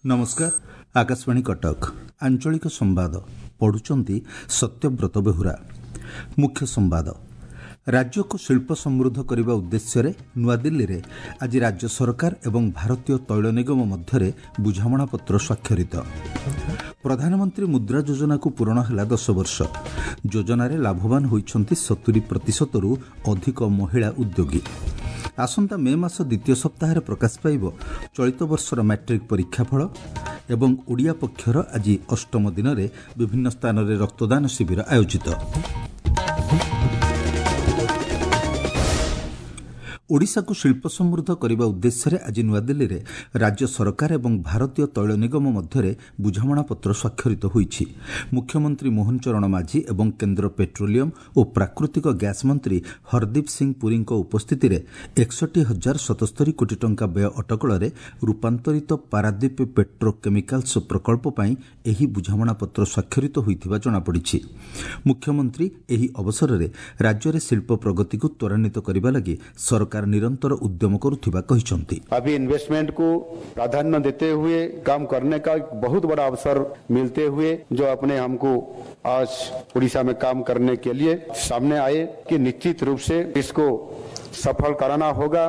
ନମସ୍କାର, ଆକାଶବାଣୀ କଟକ, ଆଞ୍ଚଳିକ ସମ୍ବାଦ ପଢୁଛନ୍ତି ସତ୍ୟବ୍ରତ ବେହୁରା। ମୁଖ୍ୟ ସମ୍ବାଦ। ରାଜ୍ୟକୁ ଶିଳ୍ପ ସମୃଦ୍ଧ କରିବା ଉଦ୍ଦେଶ୍ୟରେ ନୂଆଦିଲ୍ଲୀରେ ଆଜି ରାଜ୍ୟ ସରକାର ଏବଂ ଭାରତୀୟ ତୈଳ ନିଗମ ମଧ୍ୟରେ ବୁଝାମଣାପତ୍ର ସ୍ୱାକ୍ଷରିତ। ପ୍ରଧାନମନ୍ତ୍ରୀ ମୁଦ୍ରା ଯୋଜନାକୁ ପୂରଣ ହେଲା 10 ବର୍ଷ। ଯୋଜନାରେ ଲାଭବାନ ହୋଇଛନ୍ତି 70 ପ୍ରତିଶତରୁ ଅଧିକ ମହିଳା ଉଦ୍ୟୋଗୀ। ଆସନ୍ତା ମେ ମାସ ଦ୍ୱିତୀୟ ସପ୍ତାହରେ ପ୍ରକାଶ ପାଇବ ଚଳିତ ବର୍ଷର ମାଟ୍ରିକ୍ ପରୀକ୍ଷାଫଳ। ଏବଂ ଓଡ଼ିଆ ପକ୍ଷର ଆଜି ଅଷ୍ଟମ ଦିନରେ ବିଭିନ୍ନ ସ୍ଥାନରେ ରକ୍ତଦାନ ଶିବିର ଆୟୋଜିତ। ଓଡ଼ିଶାକୁ ଶିଳ୍ପ ସମୃଦ୍ଧ କରିବା ଉଦ୍ଦେଶ୍ୟରେ ଆଜି ନୂଆଦିଲ୍ଲୀରେ ରାଜ୍ୟ ସରକାର ଏବଂ ଭାରତୀୟ ତୈଳ ନିଗମ ମଧ୍ୟରେ ବୁଝାମଣାପତ୍ର ସ୍ୱାକ୍ଷରିତ ହୋଇଛି। ମୁଖ୍ୟମନ୍ତ୍ରୀ ମୋହନ ଚରଣ ମାଝୀ ଏବଂ କେନ୍ଦ୍ର ପେଟ୍ରୋଲିୟମ ଓ ପ୍ରାକୃତିକ ଗ୍ୟାସ୍ ମନ୍ତ୍ରୀ ହରଦୀପ ସିଂ ପୁରୀଙ୍କ ଉପସ୍ଥିତିରେ 61,077 କୋଟି ଟଙ୍କା ବ୍ୟୟ ଅଟକଳରେ ରୂପାନ୍ତରିତ ପାରାଦୀପ ପେଟ୍ରୋ କେମିକାଲ୍ସ ପ୍ରକଳ୍ପ ପାଇଁ ଏହି ବୁଝାମଣାପତ୍ର ସ୍ୱାକ୍ଷରିତ ହୋଇଥିବା ଜଣାପଡ଼ିଛି। ମୁଖ୍ୟମନ୍ତ୍ରୀ ଏହି ଅବସରରେ ରାଜ୍ୟରେ ଶିଳ୍ପ ପ୍ରଗତିକୁ ତ୍ୱରାନ୍ୱିତ କରିବା ଲାଗି ସରକାର ନିରନ୍ତର ଉଦ୍ୟମ କରୁଥିବା କହିଛନ୍ତି। अभी इन्वेस्टमेंट को प्राधान्य देते हुए काम करने का एक बहुत बड़ा अवसर मिलते हुए जो अपने हमको आज उड़ीसा में काम करने के लिए सामने आए कि निश्चित रूप से इसको सफल कराना होगा।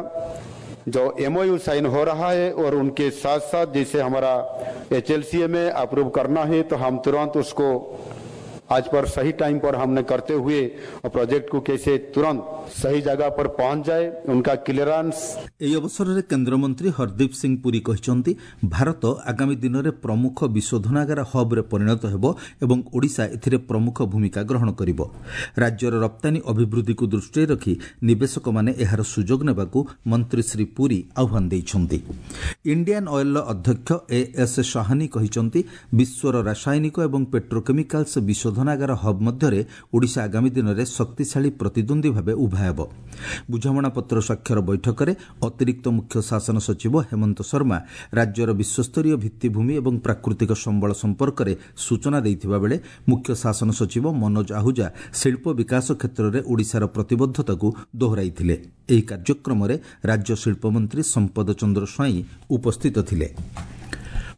जो एमओयू साइन हो रहा है और उनके साथ साथ जैसे हमारा एचएलसीए में अप्रूव करना है तो हम तुरंत उसको आज पर सही टाइम पर हमने करते हुए प्रोजेक्ट को कैसे तुरंत सही जगह पर पहुंच जाए, उनका क्लियरेंस। ଏହି ଅବସରରେ କେନ୍ଦ୍ରମନ୍ତ୍ରୀ ହରଦୀପ ସିଂ ପୁରୀ କହିଛନ୍ତି, ଭାରତ ଆଗାମୀ ଦିନରେ ପ୍ରମୁଖ ବିଶୋଧନାଗାର ହବ୍ରେ ପରିଣତ ହେବ ଏବଂ ଓଡ଼ିଶା ଏଥିରେ ପ୍ରମୁଖ ଭୂମିକା ଗ୍ରହଣ କରିବ। ରାଜ୍ୟର ରପ୍ତାନୀ ଅଭିବୃଦ୍ଧିକୁ ଦୃଷ୍ଟିରେ ରଖି ନିବେଶକମାନେ ଏହାର ସୁଯୋଗ ନେବାକୁ ମନ୍ତ୍ରୀ ଶ୍ରୀ ପୁରୀ ଆହ୍ୱାନ ଦେଇଛନ୍ତି। ଇଣ୍ଡିଆନ୍ ଅଏଲ୍ର ଅଧ୍ୟକ୍ଷ ଏ ଏସ୍ ସାହାନି କହିଛନ୍ତି, ବିଶ୍ୱର ରାସାୟନିକ ଏବଂ ପେଟ୍ରୋକେମିକାଲ୍ସ ବିଶୋଧନାଗାର ହବ୍ ମଧ୍ୟରେ ଓଡ଼ିଶା ଆଗାମୀ ଦିନରେ ଶକ୍ତିଶାଳୀ ପ୍ରତିଦ୍ୱନ୍ଦ୍ୱୀ ଭାବେ ଉଭା ହେବ। ବୁଝାମଣାପତ୍ର ସ୍ୱାକ୍ଷର ବୈଠକରେ ଅତିରିକ୍ତ ମୁଖ୍ୟ ଶାସନ ସଚିବ ହେମନ୍ତ ଶର୍ମା ରାଜ୍ୟର ବିଶ୍ୱସ୍ତରୀୟ ଭିତ୍ତିଭୂମି ଏବଂ ପ୍ରାକୃତିକ ସମ୍ବଳ ସମ୍ପର୍କରେ ସୂଚନା ଦେଇଥିବା ବେଳେ ମୁଖ୍ୟ ଶାସନ ସଚିବ ମନୋଜ ଆହୁଜା ଶିଳ୍ପ ବିକାଶ କ୍ଷେତ୍ରରେ ଓଡ଼ିଶାର ପ୍ରତିବଦ୍ଧତାକୁ ଦୋହରାଇଥିଲେ। ଏହି କାର୍ଯ୍ୟକ୍ରମରେ ରାଜ୍ୟ ଶିଳ୍ପମନ୍ତ୍ରୀ ସମ୍ପଦ ଚନ୍ଦ୍ର ସ୍ୱାଇଁ ଉପସ୍ଥିତ ଥିଲେ।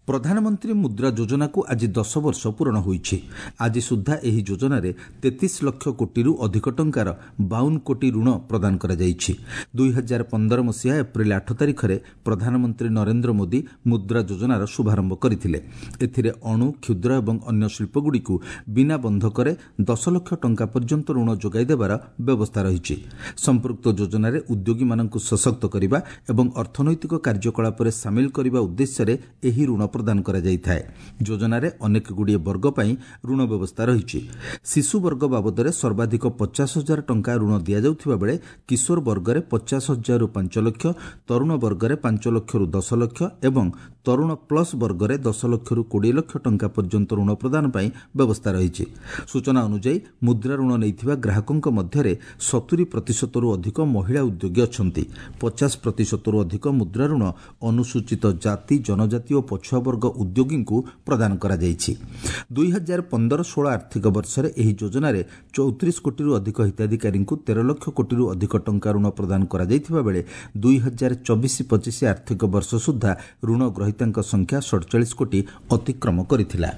ପ୍ରଧାନମନ୍ତ୍ରୀ ମୁଦ୍ରା ଯୋଜନାକୁ ଆଜି 10 ବର୍ଷ ପୂରଣ ହୋଇଛି। ଆଜି ସୁଦ୍ଧା ଏହି ଯୋଜନାରେ 33 ଲକ୍ଷ କୋଟିରୁ ଅଧିକ ଟଙ୍କାର 52 କୋଟି ଋଣ ପ୍ରଦାନ କରାଯାଇଛି। 2015 ମସିହା ଏପ୍ରିଲ 8 ତାରିଖରେ ପ୍ରଧାନମନ୍ତ୍ରୀ ନରେନ୍ଦ୍ର ମୋଦି ମୁଦ୍ରା ଯୋଜନାର ଶୁଭାରମ୍ଭ କରିଥିଲେ। ଏଥିରେ ଅଣୁ, କ୍ଷୁଦ୍ର ଏବଂ ଅନ୍ୟ ଶିଳ୍ପଗୁଡ଼ିକୁ ବିନା ବନ୍ଧକରେ 10 ଲକ୍ଷ ଟଙ୍କା ପର୍ଯ୍ୟନ୍ତ ଋଣ ଯୋଗାଇ ଦେବାର ବ୍ୟବସ୍ଥା ରହିଛି। ସମ୍ପୃକ୍ତ ଯୋଜନାରେ ଉଦ୍ୟୋଗୀମାନଙ୍କୁ ସଶକ୍ତ କରିବା ଏବଂ ଅର୍ଥନୈତିକ କାର୍ଯ୍ୟକଳାପରେ ସାମିଲ କରିବା ଉଦ୍ଦେଶ୍ୟରେ ଏହି ଋଣ ପ୍ରଦାନ କରାଯାଇଥାଏ। ଯୋଜନାରେ ଅନେକଗୁଡ଼ିଏ ବର୍ଗ ପାଇଁ ଋଣ ବ୍ୟବସ୍ଥା ରହିଛି। ଶିଶୁ ବର୍ଗ ବାବଦରେ ସର୍ବାଧିକ 50 ହଜାର ଟଙ୍କା ଋଣ ଦିଆଯାଉଥିବା ବେଳେ କିଶୋର ବର୍ଗରେ 50 ହଜାରରୁ 5 ଲକ୍ଷ, ତରୁଣ ବର୍ଗରେ 5 ଲକ୍ଷରୁ 10 ଲକ୍ଷ ଏବଂ ତରୁଣ ପ୍ଲସ୍ ବର୍ଗରେ 10 ଲକ୍ଷରୁ 20 ଲକ୍ଷ ଟଙ୍କା ପର୍ଯ୍ୟନ୍ତ ଋଣ ପ୍ରଦାନ ପାଇଁ ବ୍ୟବସ୍ଥା ରହିଛି। ସୂଚନା ଅନୁଯାୟୀ ମୁଦ୍ରା ଋଣ ନେଇଥିବା ଗ୍ରାହକଙ୍କ ମଧ୍ୟରେ 70 ପ୍ରତିଶତରୁ ଅଧିକ ମହିଳା ଉଦ୍ୟୋଗୀ ଅଛନ୍ତି। 50 ପ୍ରତିଶତରୁ ଅଧିକ ମୁଦ୍ରା ଋଣ ଅନୁସୂଚିତ ଜାତି, ଜନଜାତି ଓ ପଛୁଆ ବର୍ଗ ଉଦ୍ୟୋଗୀଙ୍କୁ ପ୍ରଦାନ କରାଯାଇଛି। 2015-16 ଆର୍ଥିକ ବର୍ଷରେ ଏହି ଯୋଜନାରେ 34 କୋଟିରୁ ଅଧିକ ହିତାଧିକାରୀଙ୍କୁ 13 ଲକ୍ଷ କୋଟିରୁ ଅଧିକ ଟଙ୍କା ଋଣ ପ୍ରଦାନ କରାଯାଇଥିବା ବେଳେ 2024-25 ଆର୍ଥିକ ବର୍ଷ ସୁଦ୍ଧା ଋଣ ଗ୍ରହୀତାଙ୍କ ସଂଖ୍ୟା 47 କୋଟି ଅତିକ୍ରମ କରିଥିଲା।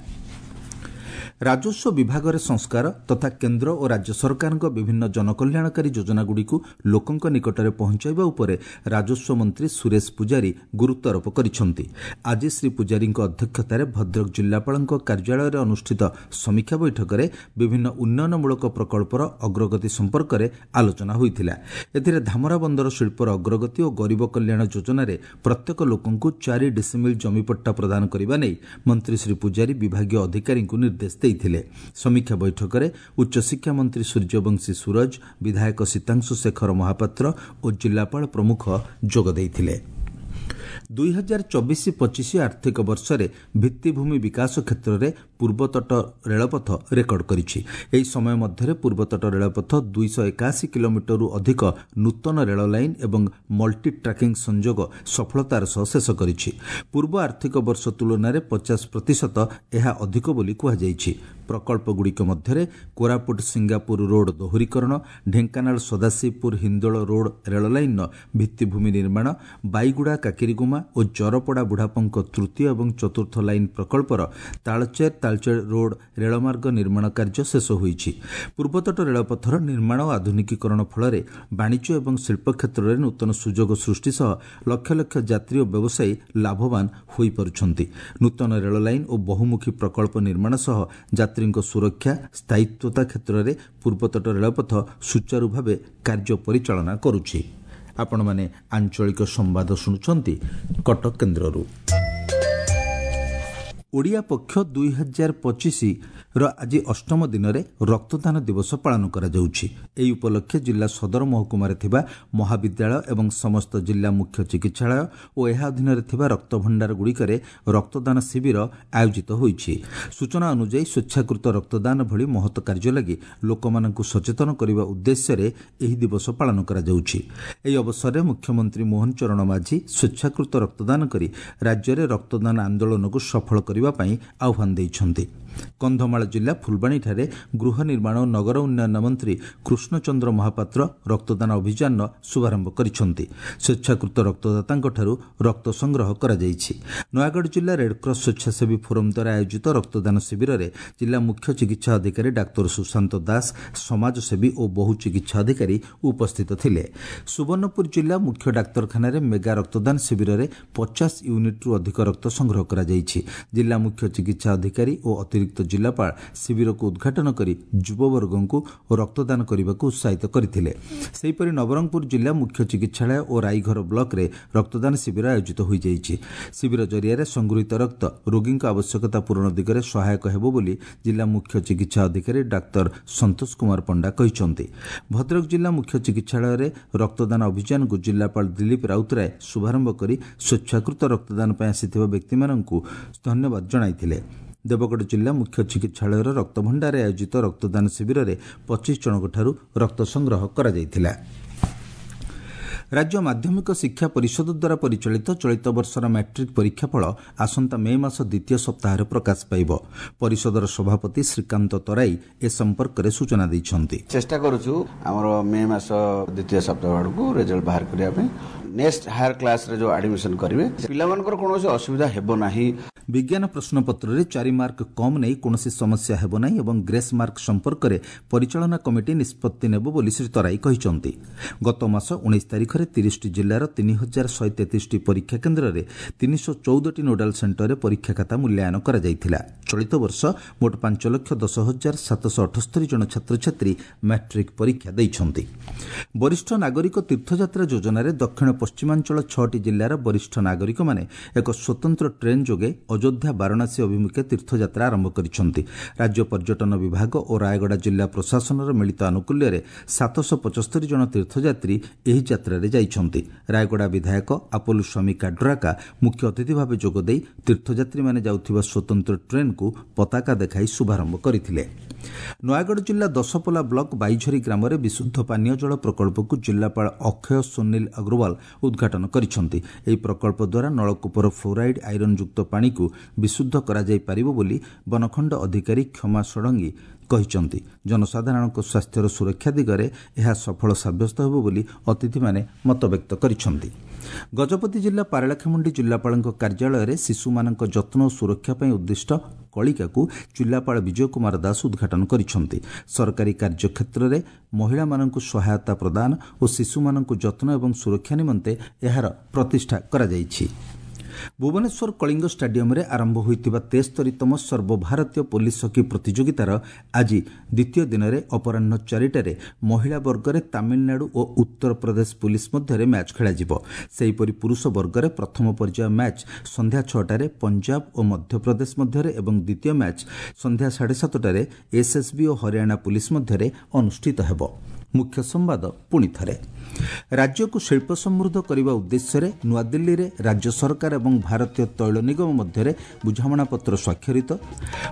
ରାଜସ୍ୱ ବିଭାଗରେ ସଂସ୍କାର ତଥା କେନ୍ଦ୍ର ଓ ରାଜ୍ୟ ସରକାରଙ୍କ ବିଭିନ୍ନ ଜନକଲ୍ୟାଣକାରୀ ଯୋଜନାଗୁଡ଼ିକୁ ଲୋକଙ୍କ ନିକଟରେ ପହଞ୍ଚାଇବା ଉପରେ ରାଜସ୍ୱ ମନ୍ତ୍ରୀ ସୁରେଶ ପୂଜାରୀ ଗୁରୁତ୍ୱାରୋପ କରିଛନ୍ତି। ଆଜି ଶ୍ରୀ ପୂଜାରୀଙ୍କ ଅଧ୍ୟକ୍ଷତାରେ ଭଦ୍ରକ ଜିଲ୍ଲାପାଳଙ୍କ କାର୍ଯ୍ୟାଳୟରେ ଅନୁଷ୍ଠିତ ସମୀକ୍ଷା ବୈଠକରେ ବିଭିନ୍ନ ଉନ୍ନୟନମୂଳକ ପ୍ରକଳ୍ପର ଅଗ୍ରଗତି ସମ୍ପର୍କରେ ଆଲୋଚନା ହୋଇଥିଲା। ଏଥିରେ ଧାମରା ବନ୍ଦର ଶିଳ୍ପର ଅଗ୍ରଗତି ଓ ଗରିବ କଲ୍ୟାଣ ଯୋଜନାରେ ପ୍ରତ୍ୟେକ ଲୋକଙ୍କୁ 4 ଡିସିମିଲ୍ ଜମିପଟ୍ଟା ପ୍ରଦାନ କରିବା ନେଇ ମନ୍ତ୍ରୀ ଶ୍ରୀ ପୂଜାରୀ ବିଭାଗୀୟ ଅଧିକାରୀଙ୍କୁ ନିର୍ଦ୍ଦେଶ ଦେଇଥିଲେ। ସମୀକ୍ଷା ବୈଠକରେ ଉଚ୍ଚଶିକ୍ଷା ମନ୍ତ୍ରୀ ସୂର୍ଯ୍ୟବଂଶୀ ସୂରଜ, ବିଧାୟକ ସୀତାଂଶୁ ଶେଖର ମହାପାତ୍ର ଓ ଜିଲ୍ଲାପାଳ ପ୍ରମୁଖ ଯୋଗ ଦେଇଥିଲେ। 2024-25 ଆର୍ଥିକ ବର୍ଷରେ ଭିତ୍ତିଭୂମି ବିକାଶ କ୍ଷେତ୍ରରେ ପୂର୍ବତଟ ରେଳପଥ ରେକର୍ଡ କରିଛି। ଏହି ସମୟ ମଧ୍ୟରେ ପୂର୍ବତଟ ରେଳପଥ 281 କିଲୋମିଟରରୁ ଅଧିକ ନୂତନ ରେଳ ଲାଇନ୍ ଏବଂ ମଲ୍ଟି ଟ୍ରାକିଂ ସଂଯୋଗ ସଫଳତାର ସହ ଶେଷ କରିଛି। ପୂର୍ବ ଆର୍ଥିକ ବର୍ଷ ତୁଳନାରେ 50% ଏହା ଅଧିକ ବୋଲି କୁହାଯାଇଛି। ପ୍ରକଳ୍ପଗୁଡ଼ିକ ମଧ୍ୟରେ କୋରାପୁଟ ସିଙ୍ଗାପୁର ରୋଡ୍ ଦୋହରୀକରଣ, ଢେଙ୍କାନାଳ ସଦାଶିବପୁର ହିନ୍ଦୋଳ ରୋଡ୍ ରେଳ ଲାଇନ୍ର ଭିତ୍ତିଭୂମି ନିର୍ମାଣ, ବାଇଗୁଡ଼ା କାକିରିଗୁମା ଓ ଜରପଡ଼ା ବୁଢ଼ାପଙ୍କ ତୃତୀୟ ଏବଂ ଚତୁର୍ଥ ଲାଇନ୍ ପ୍ରକଳ୍ପର ତାଳଚେର ତାଳଚେର ରୋଡ୍ ରେଳମାର୍ଗ ନିର୍ମାଣ କାର୍ଯ୍ୟ ଶେଷ ହୋଇଛି। ପୂର୍ବତଟ ରେଳପଥର ନିର୍ମାଣ ଓ ଆଧୁନିକୀକରଣ ଫଳରେ ବାଣିଜ୍ୟ ଏବଂ ଶିଳ୍ପ କ୍ଷେତ୍ରରେ ନୂତନ ସୁଯୋଗ ସୃଷ୍ଟି ସହ ଲକ୍ଷ ଲକ୍ଷ ଯାତ୍ରୀ ଓ ବ୍ୟବସାୟୀ ଲାଭବାନ ହୋଇପାରୁଛନ୍ତି। ନୂତନ ରେଳ ଲାଇନ୍ ଓ ବହୁମୁଖୀ ପ୍ରକଳ୍ପ ନିର୍ମାଣ ସହ ଯାତ୍ରୀଙ୍କ ସୁରକ୍ଷା, ସ୍ଥାୟିତ୍ୱତା କ୍ଷେତ୍ରରେ ପୂର୍ବତଟ ରେଳପଥ ସୁଚାରୁ ଭାବେ କାର୍ଯ୍ୟ ପରିଚାଳନା କରୁଛି। ଆପଣମାନେ ଆଞ୍ଚଳିକ ସମ୍ବାଦ ଶୁଣୁଛନ୍ତି କଟକ କେନ୍ଦ୍ରରୁ। ଓଡ଼ିଆ ପକ୍ଷ 2025ର ଆଜି ଅଷ୍ଟମ ଦିନରେ ରକ୍ତଦାନ ଦିବସ ପାଳନ କରାଯାଉଛି। ଏହି ଉପଲକ୍ଷେ ଜିଲ୍ଲା ସଦର ମହକୁମାରେ ଥିବା ମହାବିଦ୍ୟାଳୟ ଏବଂ ସମସ୍ତ ଜିଲ୍ଲା ମୁଖ୍ୟ ଚିକିତ୍ସାଳୟ ଓ ଏହା ଅଧୀନରେ ଥିବା ରକ୍ତଭଣ୍ଡାରଗୁଡ଼ିକରେ ରକ୍ତଦାନ ଶିବିର ଆୟୋଜିତ ହୋଇଛି। ସୂଚନା ଅନୁଯାୟୀ, ସ୍ୱେଚ୍ଛାକୃତ ରକ୍ତଦାନ ଭଳି ମହତ କାର୍ଯ୍ୟ ଲାଗି ଲୋକମାନଙ୍କୁ ସଚେତନ କରିବା ଉଦ୍ଦେଶ୍ୟରେ ଏହି ଦିବସ ପାଳନ କରାଯାଉଛି। ଏହି ଅବସରରେ ମୁଖ୍ୟମନ୍ତ୍ରୀ ମୋହନ ଚରଣ ମାଝୀ ସ୍ୱେଚ୍ଛାକୃତ ରକ୍ତଦାନ କରି ରାଜ୍ୟରେ ରକ୍ତଦାନ ଆନ୍ଦୋଳନକୁ ସଫଳ କରିବା ପାଇଁ ଆହ୍ୱାନ ଦେଇଛନ୍ତି। କନ୍ଧମାଳ ଜିଲ୍ଲା ଫୁଲବାଣୀଠାରେ ଗୃହ ନିର୍ମାଣ ଓ ନଗର ଉନ୍ନୟନ ମନ୍ତ୍ରୀ କୃଷ୍ଣଚନ୍ଦ୍ର ମହାପାତ୍ର ରକ୍ତଦାନ ଅଭିଯାନର ଶୁଭାରମ୍ଭ କରିଛନ୍ତି। ସ୍ୱେଚ୍ଛାକୃତ ରକ୍ତଦାତାଙ୍କଠାରୁ ରକ୍ତ ସଂଗ୍ରହ କରାଯାଇଛି। ନୟାଗଡ଼ ଜିଲ୍ଲା ରେଡ୍କ୍ରସ୍ ସ୍ୱେଚ୍ଛାସେବୀ ଫୋରମ୍ ଦ୍ୱାରା ଆୟୋଜିତ ରକ୍ତଦାନ ଶିବିରରେ ଜିଲ୍ଲା ମୁଖ୍ୟ ଚିକିତ୍ସା ଅଧିକାରୀ ଡାକ୍ତର ସୁଶାନ୍ତ ଦାସ, ସମାଜସେବୀ ଓ ବହୁ ଚିକିତ୍ସା ଅଧିକାରୀ ଉପସ୍ଥିତ ଥିଲେ। ସୁବର୍ଣ୍ଣପୁର ଜିଲ୍ଲା ମୁଖ୍ୟ ଡାକ୍ତରଖାନାରେ ମେଗା ରକ୍ତଦାନ ଶିବିରରେ 50 ୟୁନିଟ୍ରୁ ଅଧିକ ରକ୍ତ ସଂଗ୍ରହ କରାଯାଇଛି। ଜିଲ୍ଲା ମୁଖ୍ୟ ଚିକିତ୍ସା ଅଧିକାରୀ ଓ ଅତିରିକ୍ତ ଜିଲ୍ଲାପାଳ ଶିବିରକୁ ଉଦ୍ଘାଟନ କରି ଯୁବବର୍ଗଙ୍କୁ ରକ୍ତଦାନ କରିବାକୁ ଉତ୍ସାହିତ କରିଥିଲେ। ସେହିପରି ନବରଙ୍ଗପୁର ଜିଲ୍ଲା ମୁଖ୍ୟ ଚିକିତ୍ସାଳୟ ଓ ରାଇଘର ବ୍ଲକରେ ରକ୍ତଦାନ ଶିବିର ଆୟୋଜିତ ହୋଇଯାଇଛି। ଶିବିର ଜରିଆରେ ସଂଗୃହୀତ ରକ୍ତ ରୋଗୀଙ୍କ ଆବଶ୍ୟକତା ପୂରଣ ଦିଗରେ ସହାୟକ ହେବ ବୋଲି ଜିଲ୍ଲା ମୁଖ୍ୟ ଚିକିତ୍ସା ଅଧିକାରୀ ଡାକ୍ତର ସନ୍ତୋଷ କୁମାର ପଣ୍ଡା କହିଛନ୍ତି। ଭଦ୍ରକ ଜିଲ୍ଲା ମୁଖ୍ୟ ଚିକିତ୍ସାଳୟରେ ରକ୍ତଦାନ ଅଭିଯାନକୁ ଜିଲ୍ଲାପାଳ ଦିଲ୍ଲୀପ ରାଉତରାୟ ଶୁଭାରମ୍ଭ କରି ସ୍ୱେଚ୍ଛାକୃତ ରକ୍ତଦାନ ପାଇଁ ଆସିଥିବା ବ୍ୟକ୍ତିମାନଙ୍କୁ ଧନ୍ୟବାଦ ଜଣାଇଥିଲେ। ଦେବଗଡ଼ ଜିଲ୍ଲା ମୁଖ୍ୟ ଚିକିତ୍ସାଳୟର ରକ୍ତଭଣ୍ଡାରରେ ଆୟୋଜିତ ରକ୍ତଦାନ ଶିବିରରେ 25 ଜଣଙ୍କଠାରୁ ରକ୍ତ ସଂଗ୍ରହ କରାଯାଇଥିଲା। ରାଜ୍ୟ ମାଧ୍ୟମିକ ଶିକ୍ଷା ପରିଷଦ ଦ୍ୱାରା ପରିଚାଳିତ ଚଳିତ ବର୍ଷର ମାଟ୍ରିକ୍ ପରୀକ୍ଷାଫଳ ଆସନ୍ତା ମେ ମାସ ଦ୍ୱିତୀୟ ସପ୍ତାହରେ ପ୍ରକାଶ ପାଇବ। ପରିଷଦର ସଭାପତି ଶ୍ରୀକାନ୍ତ ତରାଇ ଏ ସମ୍ପର୍କରେ ସୂଚନା ଦେଇଛନ୍ତି। ଚେଷ୍ଟା କରୁଛୁ ଆମର ମେ ମାସ ଦ୍ୱିତୀୟ ସପ୍ତାହ ଆଡ଼କୁ ରେଜଲ୍ଟ ବାହାର କରିବା ପାଇଁ। ନେକ୍ସଟ ହାୟର କ୍ଲାସରେ ଯେଉଁ ଆଡମିସନ କରିବେ ପିଲାମାନଙ୍କର କୌଣସି ଅସୁବିଧା ହେବ ନାହିଁ। ବିଜ୍ଞାନ ପ୍ରଶ୍ନପତ୍ରରେ 4 ମାର୍କ କମ୍ ନେଇ କୌଣସି ସମସ୍ୟା ହେବ ନାହିଁ ଏବଂ ଗ୍ରେସ୍ ମାର୍କ ସମ୍ପର୍କରେ ପରିଚାଳନା କମିଟି ନିଷ୍ପତ୍ତି ନେବ ବୋଲି ଶ୍ରୀ ତରାଇ କହିଛନ୍ତି। ଗତ ମାସ 19 ତାରିଖରେ 30ଟି ଜିଲ୍ଲାର 3133ଟି ପରୀକ୍ଷା କେନ୍ଦ୍ରରେ 314ଟି ନୋଡାଲ ସେଣ୍ଟରରେ ପରୀକ୍ଷା ଖାତା ମୂଲ୍ୟାୟନ କରାଯାଇଥିଲା। ଚଳିତ ବର୍ଷ ମୋଟ 5,10,778 ଜଣ ଛାତ୍ରଛାତ୍ରୀ ମାଟ୍ରିକ୍ ପରୀକ୍ଷା ଦେଇଛନ୍ତି। ବରିଷ୍ଠ ନାଗରିକ ତୀର୍ଥଯାତ୍ରା ଯୋଜନାରେ ଦକ୍ଷିଣ ପଶ୍ଚିମାଞ୍ଚଳ 6ଟି ଜିଲ୍ଲାର ବରିଷ୍ଠ ନାଗରିକମାନେ ଏକ ସ୍ୱତନ୍ତ୍ର ଟ୍ରେନ୍ ଯୋଗେ ଅଯୋଧ୍ୟା ବାରାଣସୀ ଅଭିମୁଖେ ତୀର୍ଥଯାତ୍ରା ଆରମ୍ଭ କରିଛନ୍ତି। ରାଜ୍ୟ ପର୍ଯ୍ୟଟନ ବିଭାଗ ଓ ରାୟଗଡ଼ା ଜିଲ୍ଲା ପ୍ରଶାସନର ମିଳିତ ଆନୁକୂଲ୍ୟରେ 775 ଜଣ ତୀର୍ଥଯାତ୍ରୀ ଏହି ଯାତ୍ରାରେ ଯାଇଛନ୍ତି। ରାୟଗଡ଼ା ବିଧାୟକ ଆପୋଲୋ ସ୍ୱାମୀ କାଡ୍ରାକା ମୁଖ୍ୟ ଅତିଥି ଭାବେ ଯୋଗଦେଇ ତୀର୍ଥଯାତ୍ରୀମାନେ ଯାଉଥିବା ସ୍ୱତନ୍ତ୍ର ଟ୍ରେନ୍କୁ ପତାକା ଦେଖାଇ ଶୁଭାରମ୍ଭ କରିଥିଲେ। ନୟାଗଡ଼ ଜିଲ୍ଲା ଦଶପଲା ବ୍ଲକ ବାଇଝରୀ ଗ୍ରାମରେ ବିଶୁଦ୍ଧ ପାନୀୟ ଜଳ ପ୍ରକଳ୍ପକୁ ଜିଲ୍ଲାପାଳ ଅକ୍ଷୟ ସୁନୀଲ ଅଗ୍ରୱାଲ ଉଦ୍ଘାଟନ କରିଛନ୍ତି। ଏହି ପ୍ରକଳ୍ପ ଦ୍ୱାରା ନଳକୂପର ଫ୍ଲୋରାଇଡ୍ ଆଇରନ୍ଯୁକ୍ତ ପାଣିକୁ ବିଶୁଦ୍ଧ କରାଯାଇପାରିବ ବୋଲି ବନଖଣ୍ଡ ଅଧିକାରୀ କ୍ଷମା ଷଡ଼ଙ୍ଗୀ କହିଛନ୍ତି। ଜନସାଧାରଣଙ୍କ ସ୍ୱାସ୍ଥ୍ୟର ସୁରକ୍ଷା ଦିଗରେ ଏହା ସଫଳ ସାବ୍ୟସ୍ତ ହେବ ବୋଲି ଅତିଥିମାନେ ମତବ୍ୟକ୍ତ କରିଛନ୍ତି। ଗଜପତି ଜିଲ୍ଲା ପାରଳାଖେମୁଣ୍ଡି ଜିଲ୍ଲାପାଳଙ୍କ କାର୍ଯ୍ୟାଳୟରେ ଶିଶୁମାନଙ୍କ ଯତ୍ନ ଓ ସୁରକ୍ଷା ପାଇଁ ଉଦ୍ଦିଷ୍ଟ କଳିକାକୁ ଜିଲ୍ଲାପାଳ ବିଜୟ କୁମାର ଦାସ ଉଦ୍ଘାଟନ କରିଛନ୍ତି। ସରକାରୀ କାର୍ଯ୍ୟକ୍ଷେତ୍ରରେ ମହିଳାମାନଙ୍କୁ ସହାୟତା ପ୍ରଦାନ ଓ ଶିଶୁମାନଙ୍କୁ ଯତ୍ନ ଏବଂ ସୁରକ୍ଷା ନିମନ୍ତେ ଏହାର ପ୍ରତିଷ୍ଠା କରାଯାଇଛି। ଭୁବନେଶ୍ୱର କଳିଙ୍ଗ ଷ୍ଟାଡିୟମରେ ଆରମ୍ଭ ହୋଇଥିବା 73ତମ ସର୍ବଭାରତୀୟ ପୋଲିସ ହକି ପ୍ରତିଯୋଗିତାର ଆଜି ଦ୍ୱିତୀୟ ଦିନରେ ଅପରାହ୍ନ 4ଟାରେ ମହିଳା ବର୍ଗରେ ତାମିଲନାଡୁ ଓ ଉତ୍ତରପ୍ରଦେଶ ପୋଲିସ ମଧ୍ୟରେ ମ୍ୟାଚ୍ ଖେଳାଯିବ। ସେହିପରି ପୁରୁଷ ବର୍ଗରେ ପ୍ରଥମ ପର୍ଯ୍ୟାୟ ମ୍ୟାଚ୍ ସନ୍ଧ୍ୟା 6ଟାରେ ପଞ୍ଜାବ ଓ ମଧ୍ୟପ୍ରଦେଶ ମଧ୍ୟରେ ଏବଂ ଦ୍ୱିତୀୟ ମ୍ୟାଚ୍ ସନ୍ଧ୍ୟା 7:30ଟାରେ ଏସ୍ଏସ୍ବି ଓ ହରିୟାଣା ପୋଲିସ ମଧ୍ୟରେ ଅନୁଷ୍ଠିତ ହେବ। ମୁଖ୍ୟ ସମ୍ବାଦ ପୁଣି ଥରେ। ରାଜ୍ୟକୁ ଶିଳ୍ପ ସମୃଦ୍ଧ କରିବା ଉଦ୍ଦେଶ୍ୟରେ ନୂଆଦିଲ୍ଲୀରେ ରାଜ୍ୟ ସରକାର ଏବଂ ଭାରତୀୟ ତୈଳ ନିଗମ ମଧ୍ୟରେ ବୁଝାମଣାପତ୍ର ସ୍ୱାକ୍ଷରିତ।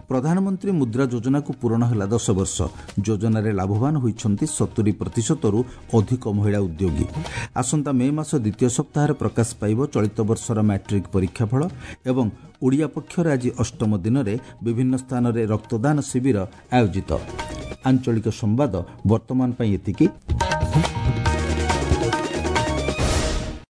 ପ୍ରଧାନମନ୍ତ୍ରୀ ମୁଦ୍ରା ଯୋଜନାକୁ ପୂରଣ ହେଲା 10 ବର୍ଷ। ଯୋଜନାରେ ଲାଭବାନ ହୋଇଛନ୍ତି 70%ରୁ ଅଧିକ ମହିଳା ଉଦ୍ୟୋଗୀ। ଆସନ୍ତା ମେ ମାସ ଦ୍ୱିତୀୟ ସପ୍ତାହରେ ପ୍ରକାଶ ପାଇବ ଚଳିତ ବର୍ଷର ମ୍ୟାଟ୍ରିକ୍ ପରୀକ୍ଷାଫଳ। ଏବଂ ଓଡ଼ିଆ ପକ୍ଷର ଆଜି ଅଷ୍ଟମ ଦିନରେ ବିଭିନ୍ନ ସ୍ଥାନରେ ରକ୍ତଦାନ ଶିବିର ଆୟୋଜିତ। ଆଞ୍ଚଳିକ ସମ୍ବାଦ ବର୍ତ୍ତମାନ ପାଇଁ ଏତିକି।